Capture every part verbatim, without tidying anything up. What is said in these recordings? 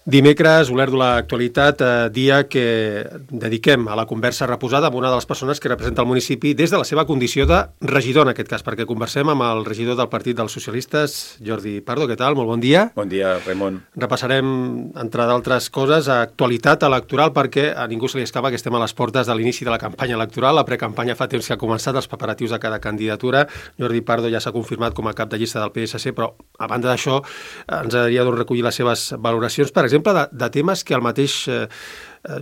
Dimecres, Olèrdola Actualitat, eh, dia que dediquem a la conversa reposada amb una de les persones que representa el municipi des de la seva condició de regidor, en aquest cas, perquè conversem amb el regidor del Partit dels Socialistes, Jordi Pardo. Què tal? Molt bon dia. Bon dia, Raimon. Repassarem, entre d'altres coses, actualitat electoral, perquè a ningú se li escapa que estem a les portes de l'inici de la campanya electoral. La precampanya fa temps que ha començat, els preparatius de cada candidatura. Jordi Pardo ja s'ha confirmat com a cap de llista del P S C, però a banda d'això ens agradaria doncs, recollir les seves valoracions, per exemple, De, de temes que el mateix eh,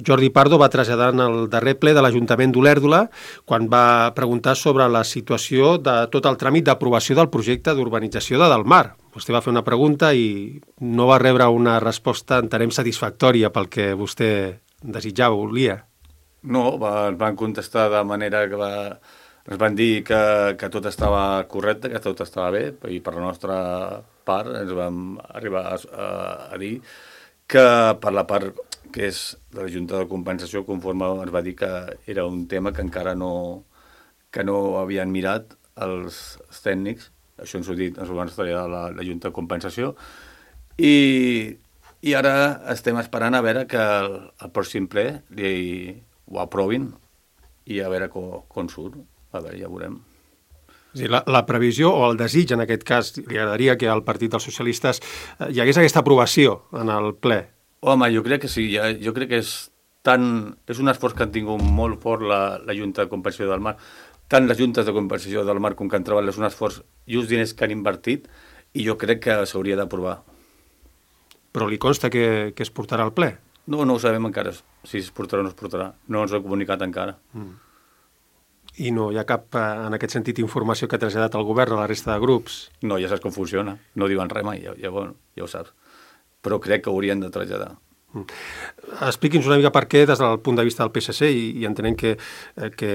Jordi Pardo va traslladar en el darrer ple de l'Ajuntament d'Olèrdola quan va preguntar sobre la situació de tot el tràmit d'aprovació del projecte d'urbanització de Delmar. Vostè va fer una pregunta i no va rebre una resposta, entenem, satisfactòria pel que vostè desitjava, volia. No, va, ens van contestar de manera que va, ens van dir que, que tot estava correcte, que tot estava bé, i per la nostra part ens vam arribar a, a, a dir que per la part que és de la Junta de Compensació, conforme ens va dir que era un tema que encara no, que no havien mirat els, els tècnics, això ens ho, dit, ens ho van estudiar la, la Junta de Compensació, i, i ara estem esperant a veure que el, el pròxim ple li, ho aprovin i a veure com, com surt, a veure, ja veurem. La, la previsió o el desig, en aquest cas, li agradaria que al Partit dels Socialistes eh, hi hagués aquesta aprovació en el ple? Home, jo crec que sí. Ja, jo crec que és, tan, és un esforç que han tingut molt fort la, la Junta de Compensació del Mar. Tant les Juntes de Compensació del Mar com que han treballat és un esforç i uns diners que han invertit i jo crec que s'hauria d'aprovar. Però li consta que, que es portarà al ple? No, no ho sabem encara, si es portarà o no es portarà. No ens ho ha comunicat encara. Mm. I no hi ha cap, en aquest sentit, informació que ha traslladat el govern a la resta de grups? No, ja saps com funciona. No diuen res mai, ja, ja, ja ho saps. Però crec que haurien de traslladar. Mm. Expliqui'ns una mica per què, des del punt de vista del P S C, i, i entenent que, que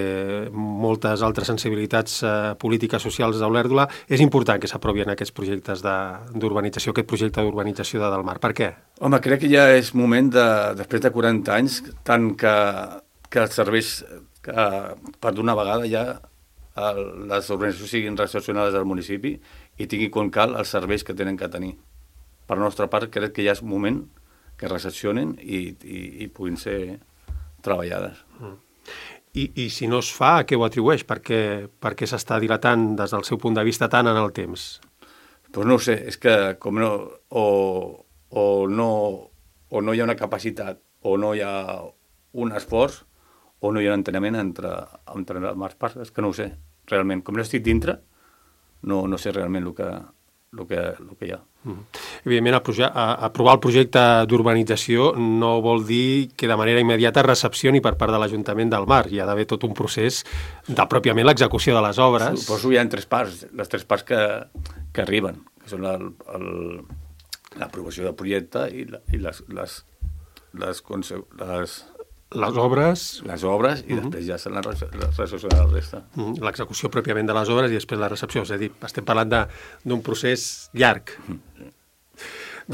moltes altres sensibilitats eh, polítiques socials d'Olèrdola, és important que s'aprovien aquests projectes d'urbanització, aquest projecte d'urbanització de Delmar. Per què? Home, crec que ja és moment, de, després de quaranta anys, tant que, que els serveis... que per d'una vegada ja el, les organitzacions siguin recepcionades al municipi i tinguin com cal els serveis que tenen que tenir. Per la nostra part, crec que ja és moment que recepcionen i, i, i puguin ser treballades. Mm. I, I si no es fa, a què ho atribueix? Per què, per què s'està dilatant des del seu punt de vista tant en el temps? Doncs no ho sé, és que com no, o, o, no, o no hi ha una capacitat o no hi ha un esforç o no hi ha un enteniment entre, entre les parts, és que no ho sé, realment. Com no estic dintre, no, no sé realment el que, el que, el que hi ha. Mm. Evidentment, el proje- a, aprovar el projecte d'urbanització no vol dir que de manera immediata recepcioni per part de l'Ajuntament del Mar. Hi ha d'haver tot un procés de pròpiament l'execució de les obres. Suposo hi ha tres parts, les tres parts que, que arriben, que són l'aprovació del projecte i, la, i les, les, les, les les obres... Les obres i uh-huh. després ja se la recepció de la resta. Uh-huh. L'execució pròpiament de les obres i després la recepció. És a dir, estem parlant d'un procés llarg. Uh-huh.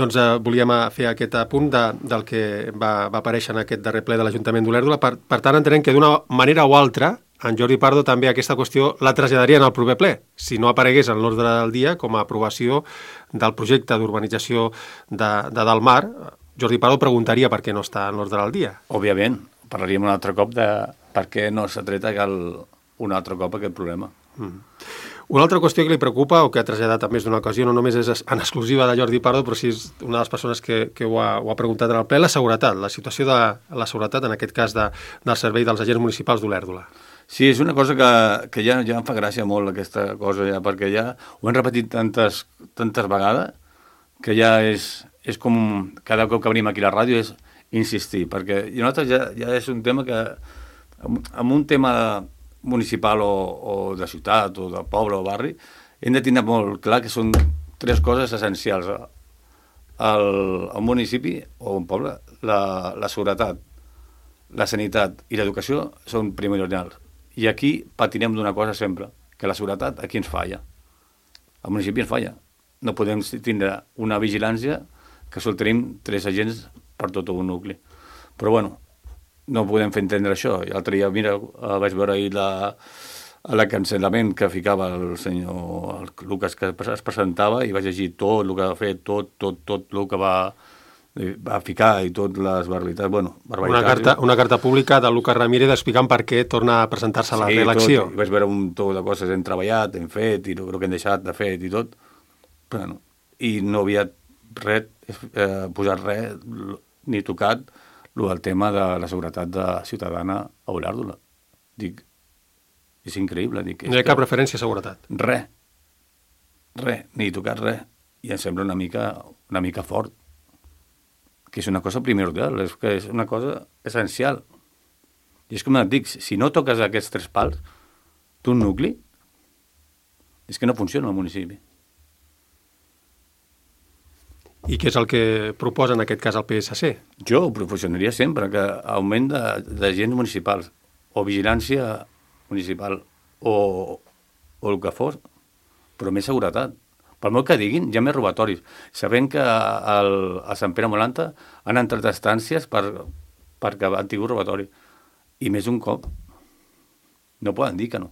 Doncs eh, volíem fer aquest apunt de, del que va, va aparèixer en aquest darrer ple de l'Ajuntament d'Olèrdola. Per, per tant, entenem que d'una manera o altra, en Jordi Pardo també aquesta qüestió la traslladaria en el proper ple. Si no aparegués en l'ordre del dia com a aprovació del projecte d'urbanització de, de Delmar, Jordi Pardo preguntaria per què no està en l'ordre del dia. Òbviament, parlaríem un altre cop de per què no s'ha tret un altre cop aquest problema. Mm. Una altra qüestió que li preocupa o que ha traslladat en més d'una ocasió, no només és en exclusiva de Jordi Pardo, però sí és una de les persones que, que ho, ha, ho ha preguntat en el ple, la seguretat, la situació de la seguretat, en aquest cas de, del servei dels agents municipals d'Olèrdola. Sí, és una cosa que, que ja, ja em fa gràcia molt aquesta cosa, ja, perquè ja ho hem repetit tantes, tantes vegades que ja és... és com cada cop que venim aquí a la ràdio és insistir, perquè nosaltres ja, ja és un tema que, amb un tema municipal o, o de ciutat o de poble o barri, hem de tenir molt clar que són tres coses essencials. El, el municipi o un poble, la, la seguretat, la sanitat i l'educació són primordials. I aquí patinem d'una cosa sempre, que la seguretat aquí ens falla. Al municipi ens falla. No podem tindre una vigilància que sol tenim tres agents per tot un nucli. Però, bueno, no podem fer entendre això. I l'altre dia, mira, vaig veure ahir la, l'acancel·lament que ficava el senyor el Lucas, que es presentava, i vaig llegir tot el que va fer, tot, tot, tot el que va va ficar i tot les barbaritats, bueno, barbaritats. Una carta, una carta pública de Lucas Ramírez explicant per què torna a presentar-se a la sí, reelecció. Tot, i vaig veure un tot de coses, hem treballat, hem fet, i el que hem deixat de fet i tot, però no. I no havia res, eh, posat res, ni tocat el tema de la seguretat de ciutadana a Olèrdola. Dic, és increïble. Dic, no hi ha cap referència a seguretat. Res, res, ni tocat res. I em sembla una mica, una mica fort, que és una cosa primordial, és que és una cosa essencial. I és com et dic, si no toques aquests tres pals, tu un nucli, és que no funciona el municipi. I què és el que proposa en aquest cas el P S C? Jo ho proporcionaria sempre, que augment de, de agents municipals, o vigilància municipal, o, o el que fos, però més seguretat. Per molt que diguin, hi ha més robatoris. Sabem que al, a Sant Pere Molanta han entrat estàncies per, perquè han tingut robatori. I més un cop. No poden dir que no.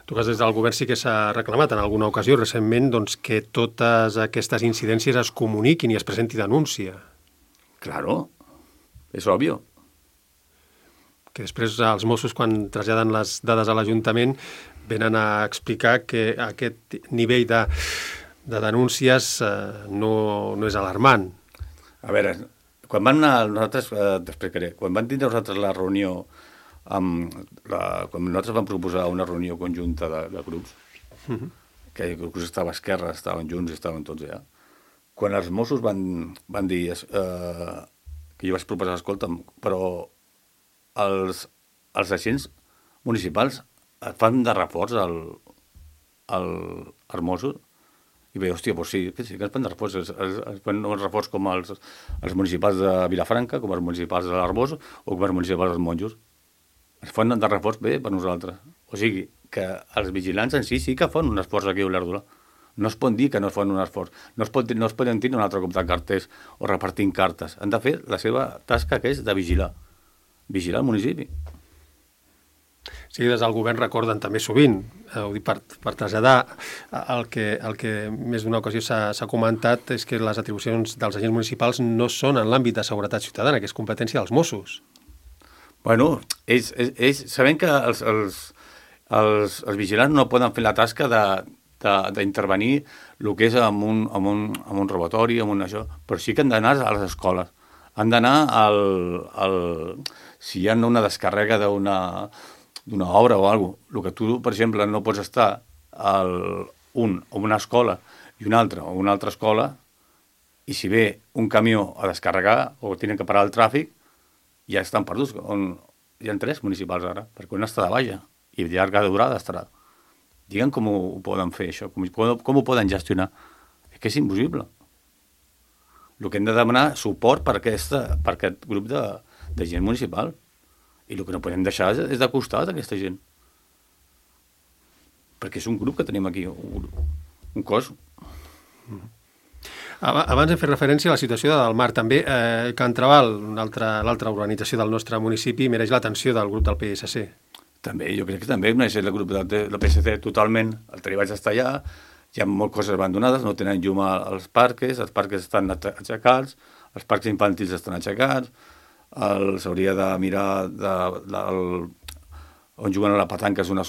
Tu que des del govern sí que s'ha reclamat en alguna ocasió recentment doncs, que totes aquestes incidències es comuniquin i es presenti denúncia. Claro, és òbvio. Que després els Mossos, quan traslladen les dades a l'Ajuntament, venen a explicar que aquest nivell de, de denúncies eh, no, no és alarmant. A veure, quan van anar, nosaltres, eh, t'explicaré, quan van tindre nosaltres la reunió, amb la, quan nosaltres vam proposar una reunió conjunta de, de grups, uh-huh. que el grup estava a esquerra, estaven junts i estaven tots allà, quan els Mossos van, van dir eh, que jo vaig proposar, escolta'm, però els, els agents municipals fan de reforç al, al, als Mossos i bé, hòstia, doncs sí, que sí que es fan de reforç, es, es, es fan un reforç com els, els municipals de Vilafranca, com els municipals de l'Arbós o com els municipals dels Monjos. Es fan de reforç bé per nosaltres. O sigui, que els vigilants en si sí que fan un esforç aquí a Olèrdola. No es pot dir que no fan un esforç. No es, pot, no es poden tenir un altre cop de carters o repartint cartes. Han de fer la seva tasca, que és de vigilar. Vigilar el municipi. Sí, des del govern recorden també sovint, eh, ho dic per, per traslladar, el que, el que més d'una ocasió s'ha comentat és que les atribucions dels agents municipals no són en l'àmbit de seguretat ciutadana, que és competència dels Mossos. Bueno, ells, ells, ells sabem que els, els, els, els vigilants no poden fer la tasca de d'intervenir el que és amb un, amb, un, amb un robatori, amb un això, però sí que han d'anar a les escoles. Han d'anar al, al... Si hi ha una descàrrega d'una d'una obra o alguna cosa, el que tu, per exemple, no pots estar al, un a una escola i un altre a una altra escola, i si ve un camió a descarregar o tenen que parar el tràfic, ja estan perduts. On, hi ha tres municipals ara, perquè un està de baixa i de llarga durada estarà. Digue'm com ho, ho poden fer, això, com, com ho poden gestionar. És que és impossible. El que hem de demanar suport per, aquesta, per aquest grup de, de gent municipal. I el que no podem deixar és, és de costat aquesta gent. Perquè és un grup que tenim aquí, un, un cos. Abans hem fet referència a la situació de Delmar. També eh, Can Trabal, l'altra organització del nostre municipi, mereix l'atenció del grup del P S C. També, jo crec que també mereix el grup del, del P S C totalment. El Teri vaig estar allà, hi ha moltes coses abandonades, no tenen llum als parques, els parques estan aixecats, els parcs infantils estan aixecats, s'hauria de mirar de, de, el, on juguen a la petanca, és una,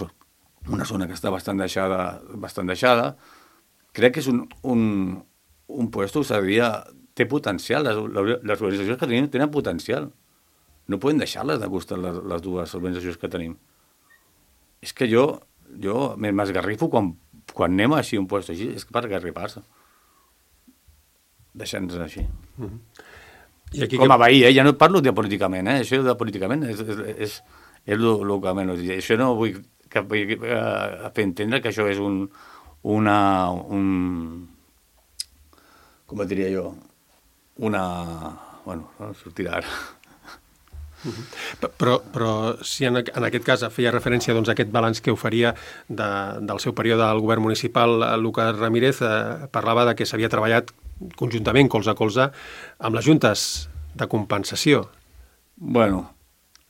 una zona que està bastant deixada, bastant deixada. Crec que és un, un, un puesto que seria, té potencial, les, les organitzacions que tenim tenen potencial. No podem deixar-les de costat, les, les dues organitzacions que tenim. És que jo, jo m'esgarrifo quan, quan anem així un puesto així, és per esgarrifar-se. Deixant-nos així. Mm-hmm. I aquí com a veí, eh? Ja no parlo de políticament, eh? Això de políticament és, és, és, és el, el que menys. Això no vull que, uh, fer entendre que això és un, una, un, com et diria jo, una, bueno, no sortirà ara. Uh-huh. Però, però si en, en aquest cas feia referència doncs, a aquest balanç que oferia de, del seu període al govern municipal, Lucas Ramírez eh, parlava de que s'havia treballat conjuntament, colze a colze, amb les juntes de compensació. Bueno,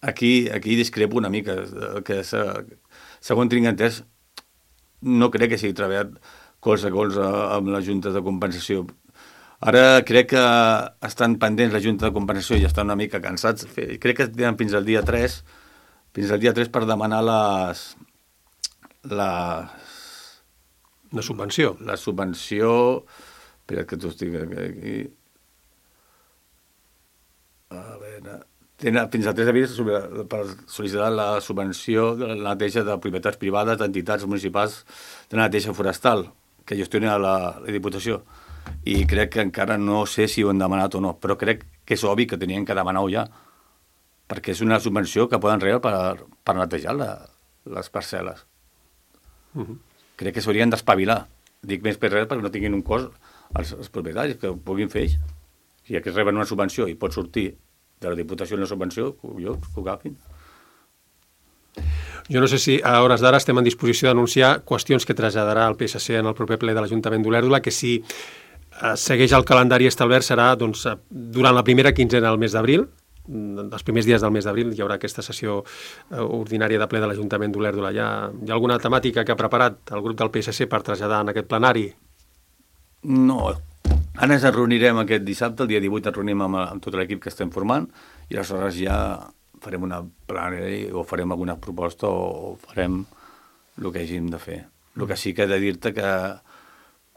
aquí, aquí discrepo una mica, que segons tinc entès, no crec que sigui treballat colze a colze amb les juntes de compensació. Ara crec que estan pendents la Junta de Compensació i estan una mica cansats. Crec que tenen fins al dia tres, fins al dia tres per demanar les... les... Una subvenció. La subvenció... Espera que t'ho estic aquí... A veure... Tenen fins al tres d'abril per sol·licitar la subvenció de la neteja de propietats privades d'entitats municipals de la neteja forestal que gestiona la, la Diputació. I crec que encara no sé si ho han demanat o no, però crec que és obvi que tenien que demanar-ho ja, perquè és una subvenció que poden rebre per, per netejar la, les parcel·les. Uh -huh. Crec que s'haurien d'espavilar. Dic més per res perquè no tinguin un cost els, els propietaris, que ho puguin fer ells. Si ja que reben una subvenció i pot sortir de la Diputació una subvenció, jo, que ho agafin. Jo no sé si a hores d'ara estem en disposició d'anunciar qüestions que traslladarà el P S C en el proper ple de l'Ajuntament d'Olèrdola, que si eh, segueix el calendari establert serà doncs, durant la primera quinzena del mes d'abril, els primers dies del mes d'abril hi haurà aquesta sessió eh, ordinària de ple de l'Ajuntament d'Olèrdola. Hi ha, hi ha alguna temàtica que ha preparat el grup del P S C per traslladar en aquest plenari? No, ara ens reunirem aquest dissabte, el dia divuit ens reunim amb, amb tot l'equip que estem formant i aleshores ja farem una plenària o farem alguna proposta o farem el que hàgim de fer. El que sí que he de dir-te que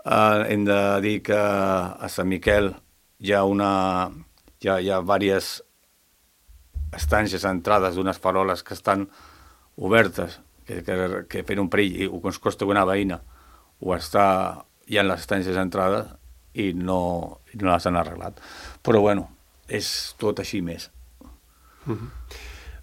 eh, hem de dir que a Sant Miquel hi ha una hi ha, hi ha diverses estàncies entrades d'unes faroles que estan obertes, que, que, que fent un perill i ens costa una veïna o està hi ha les estàncies entrades i no, i no les han arreglat. Però bueno, és tot així més. Uh-huh.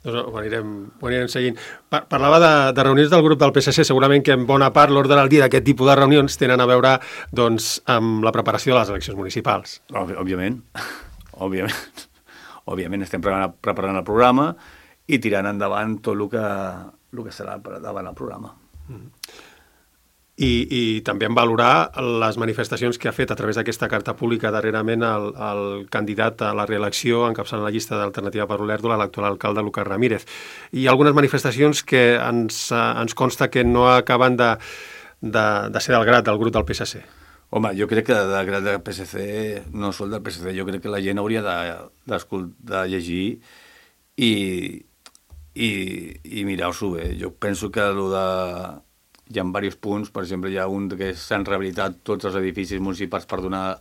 Doncs ho anirem, ho anirem seguint. Par parlava de, de reunions del grup del P S C, segurament que en bona part l'ordre del dia d'aquest tipus de reunions tenen a veure doncs, amb la preparació de les eleccions municipals. Òbviament, òbviament. Òbviament estem preparant, preparant el programa i tirant endavant tot el que, el que serà davant el programa. Uh-huh. I, i també en valorar les manifestacions que ha fet a través d'aquesta carta pública darrerament el, el candidat a la reelecció encapçalant la llista d'Alternativa per Olèrdola, l'actual alcalde Lucas Ramírez. I algunes manifestacions que ens, ens consta que no acaben de, de, de ser del grat del grup del P S C. Home, jo crec que del grat del P S C, no sol del P S C, jo crec que la gent hauria de, de, de llegir i, i, i mirar-s'ho bé. Jo penso que el de... hi ha diversos punts, per exemple, hi ha un que s'han rehabilitat tots els edificis municipals per donar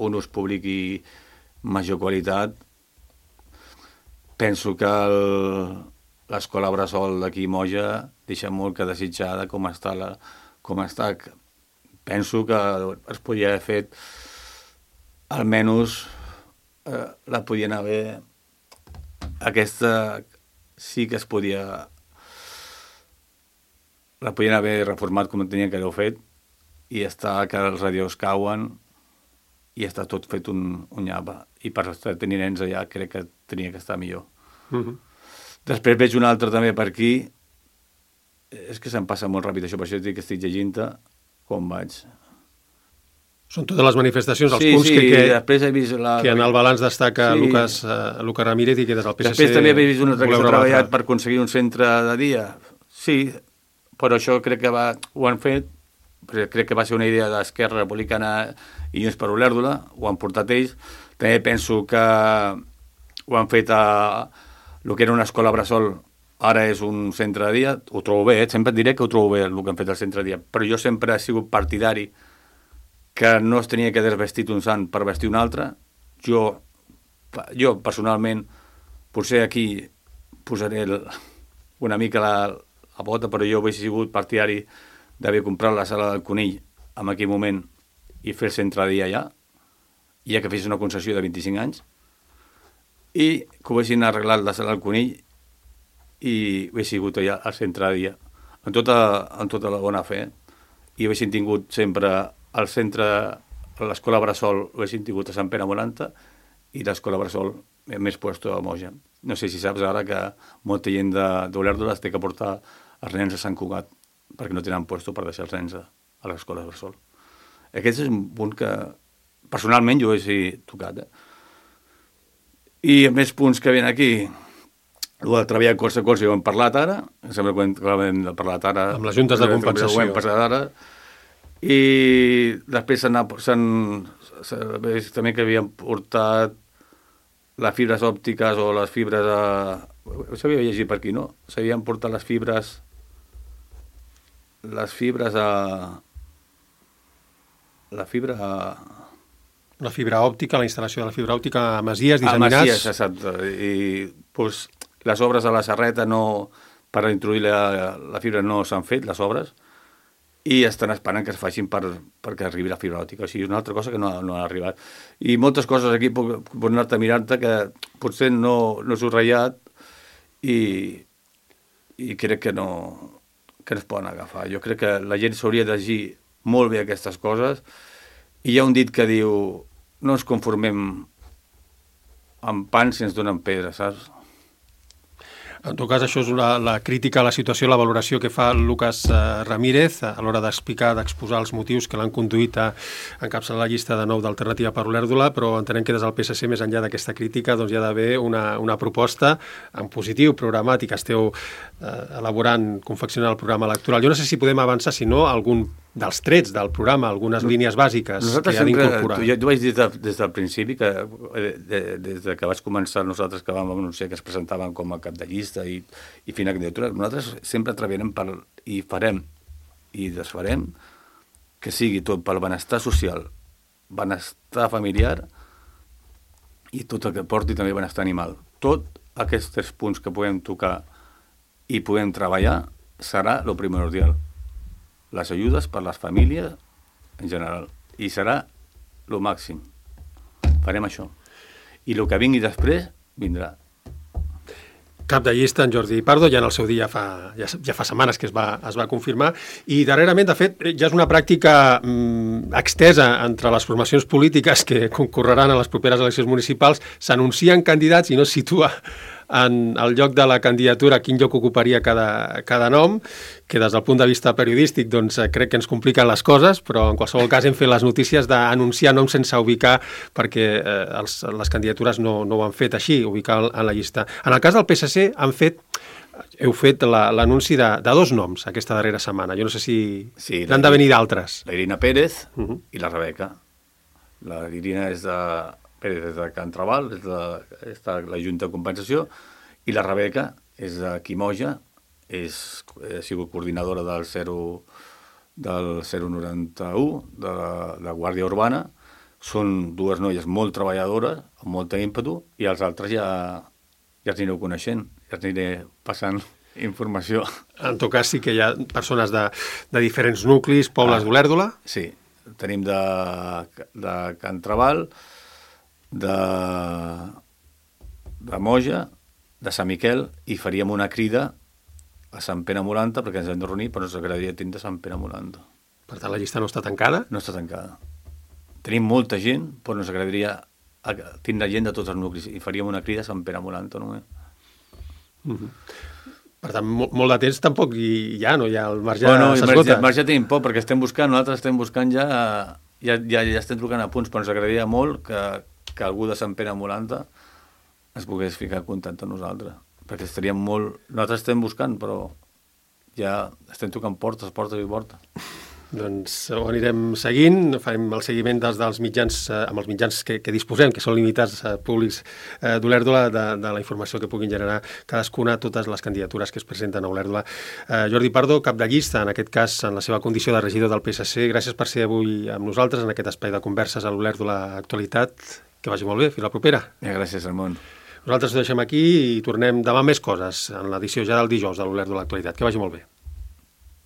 un ús públic i major qualitat. Penso que l'escola Bressol d'aquí Moja deixa molt que desitjar de com està. La, com està. Penso que es podria haver fet, almenys eh, la podien haver... Aquesta sí que es podia... la podien haver reformat com tenien que haver fet i està que els radios cauen i està tot fet un, un nyapa. I per tenir nens allà crec que tenia que estar millor. Uh-huh. Després veig un altre també per aquí. És que se'm passa molt ràpid això, per això dic que estic llegint-te com vaig. Són totes les manifestacions, els sí, punts sí, que, que, després he vist la... que en el balanç destaca sí. Lucas, uh, Lucas Ramírez i que des del P S C... Després també he vist un altre que s'ha treballat per aconseguir un centre de dia. Sí, però això crec que va, ho han fet, crec que va ser una idea d'Esquerra Republicana i Junts per Olèrdola, ho han portat ells. També penso que ho han fet a el que era una escola Bressol, ara és un centre de dia, ho trobo bé, eh? Sempre et diré que ho trobo bé el que han fet al centre de dia, però jo sempre he sigut partidari que no es tenia que desvestir un sant per vestir un altre. Jo, jo personalment, potser aquí posaré el, una mica la a bota, però jo he sigut partidari d'haver comprat la sala del Conill en aquell moment i fer el centre de dia allà, ja que fes una concessió de vint-i-cinc anys, i que ho haguessin arreglat la sala del Conill i ho he sigut allà al centre de dia, en tota, en tota la bona fe, i ho haguessin tingut sempre al centre, a l'escola Bressol ho haguessin tingut a Sant Pere Moranta i l'escola Bressol més puesto a Moja. No sé si saps ara que molta gent d'Olèrdola té que portar els nens a Sant Cugat perquè no tenen puesto per deixar els nens a, a l'escola Bressol. Aquest és un punt que personalment jo he tocat. Eh? I a més punts que ven aquí, el de treballar cos a cos, ja ho hem parlat ara, sembla que ho hem parlat ara. Amb les juntes de compensació. Ho hem parlat ara. I després s'han veig també que havien portat les fibres òptiques o les fibres a... S'havia llegit per aquí, no? S'havien portat les fibres... Les fibres a... La fibra a... La fibra òptica, la instal·lació de la fibra òptica a Masies, disseminats... A Masies, exacte. I pues, les obres a la Serreta no... Per introduir la, la fibra no s'han fet, les obres, i estan esperant que es facin per, perquè arribi la fibra òptica. O sigui, és una altra cosa que no, no ha arribat. I moltes coses aquí puc, puc anar-te mirant-te que potser no, no s'ho ratllat i, i crec que no, que no es poden agafar. Jo crec que la gent s'hauria de llegir molt bé aquestes coses i hi ha un dit que diu no ens conformem amb pans si ens donen pedra, saps? En tot cas, això és la, la crítica a la situació, la valoració que fa Lucas eh, Ramírez a l'hora d'explicar, d'exposar els motius que l'han conduït a encapçalar la llista de nou d'Alternativa per Olèrdola, però entenem que des del P S C, més enllà d'aquesta crítica, doncs hi ha d'haver una, una proposta en positiu, programàtic, esteu eh, elaborant, confeccionant el programa electoral. Jo no sé si podem avançar, si no, algun dels trets del programa, algunes línies bàsiques nosaltres que han sempre, d'incorporar. Jo, jo vaig dir des, des del principi, que de, de, des de que vaig començar nosaltres que vam anunciar que es presentaven com a cap de llista i, i fina candidatura, nosaltres sempre treballarem per, i farem i desfarem que sigui tot pel benestar social, benestar familiar i tot el que porti també benestar animal. Tot aquests tres punts que podem tocar i podem treballar serà el primordial. Les ajudes per les famílies en general. I serà el màxim. Farem això. I el que vingui després, vindrà. Cap de llista, en Jordi Pardo, ja en el seu dia fa, ja, ja fa setmanes que es va, es va confirmar, i darrerament, de fet, ja és una pràctica mm, extesa entre les formacions polítiques que concorreran a les properes eleccions municipals, s'anuncien candidats i no es situa en el lloc de la candidatura quin lloc ocuparia cada, cada nom, que des del punt de vista periodístic doncs, crec que ens compliquen les coses, però en qualsevol cas hem fet les notícies d'anunciar noms sense ubicar perquè eh, els, les candidatures no, no ho han fet així, ubicar en la llista. En el cas del P S C han fet heu fet l'anunci la, de, de dos noms aquesta darrera setmana. Jo no sé si sí, n'han de venir d'altres. La Irina Pérez uh -huh. i la Rebeca. La Irina és de Pérez és de Can Trabal, és de, és de la Junta de Compensació, i la Rebeca és de Quimoja, és, ha sigut coordinadora del zero noranta-u, de la, de la Guàrdia Urbana. Són dues noies molt treballadores, amb molta ímpetu, i els altres ja, ja els anireu coneixent, ja els aniré passant informació. En tot cas, sí que hi ha persones de, de diferents nuclis, pobles ah, d'Olèrdola. Sí, tenim de, de Can Trabal, de, de Moja, de Sant Miquel, i faríem una crida a Sant Pere Molanta, perquè ens hem de reunir, però ens agradaria tindre Sant Pere Molanta. Per tant, la llista no està tancada? No està tancada. Tenim molta gent, però ens agradaria tindre gent de tots els nuclis, i faríem una crida a Sant Pere Molanta només. Mm -hmm. Per tant, molt, molt de temps tampoc hi, hi ha, no? Ja el marge bueno, s'esgota. El marge tenim poc, perquè estem buscant, nosaltres estem buscant ja, ja, ja, ja estem trucant a punts, però ens agradaria molt que, que algú de Sant Pere Molanta es pogués ficar en contacte amb nosaltres, perquè estaríem molt... Nosaltres estem buscant, però ja estem tocant portes, portes i portes. Doncs ho anirem seguint, farem el seguiment dels, dels mitjans, eh, amb els mitjans que, que disposem, que són limitats eh, públics eh, d'Olèrdola, de, de la informació que puguin generar cadascuna, totes les candidatures que es presenten a Olèrdola. Eh, Jordi Pardo, cap de llista, en aquest cas, en la seva condició de regidor del P S C, gràcies per ser avui amb nosaltres en aquest espai de converses a l'Olèrdola Actualitat. Que vagi molt bé, fins la propera. Ja, gràcies, Ramon. Nosaltres ho deixem aquí i tornem demà més coses, en l'edició ja del dijous de l'Olèrdola Actualitat. Que vagi molt bé.